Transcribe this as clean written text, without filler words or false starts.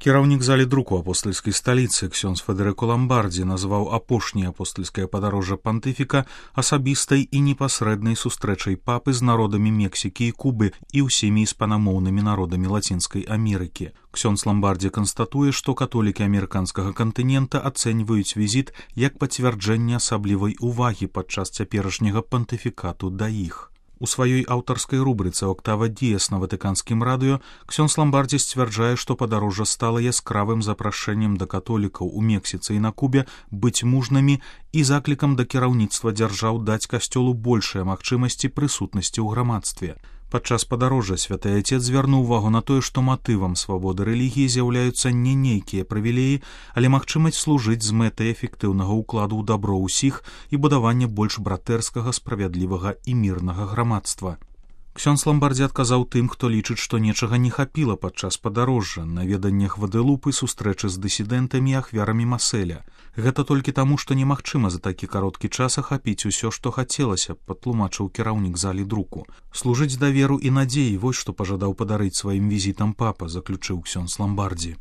Кіраўнік залі друку апостальскай сталіцы ксёндз Федэрыко Ламбардзі назваў апошняе апостальскае падарожжа пантыфіка асабістай і непасрэднай сустрэчай папы з народамі Мексікі і Кубы і ўсімі іспанамоўнымі народамі Лацінскай Амерыкі. Ксёндз Ламбардзі канстатуе, што католікі амерыканскага кантынента ацэньваюць візіт як пацвярджэнне асаблівай увагі падчас цяперашняга пантыфікату да іх. У сваёй аўтарскай рубрыцы «Октава Діес» на ватыканскім радыё ксёндз Ламбардзі сцвярджае, што падарожжа стала яскравым запрашэннем да католікаў у Мексіцы і на Кубе быць мужнымі і заклікам да кіраўніцтва дзяржаў даць касцёлу большыя магчымасці прысутнасці ў грамадстве. Падчас падарожжа святы Айцец звярнуў увагу на тое, што матывам свабоды рэлігіі з'яўляюцца не нейкія прывілеі, але магчымасць служыць з мэтай эфектыўнага ўкладу ў дабро ўсіх і будавання больш братэрскага, справядлівага і мірнага грамадства. Ксёндз Ламбардзі адказаў тым, хто лічыць, што нечага не хапіла падчас падарожжа, наведаннях Гвадэлупы, сустрэчы з дысідэнтамі і ахвярамі Маселя. Гэта толькі таму, што немагчыма за такі кароткі час ахапіць усё, што хацелася, патлумачыў кіраўнік залі друку. Служыць даверу і надзеі, вось што пажадаў падарыць сваім візітам папа, заключыў ксёндз Ламбардзі.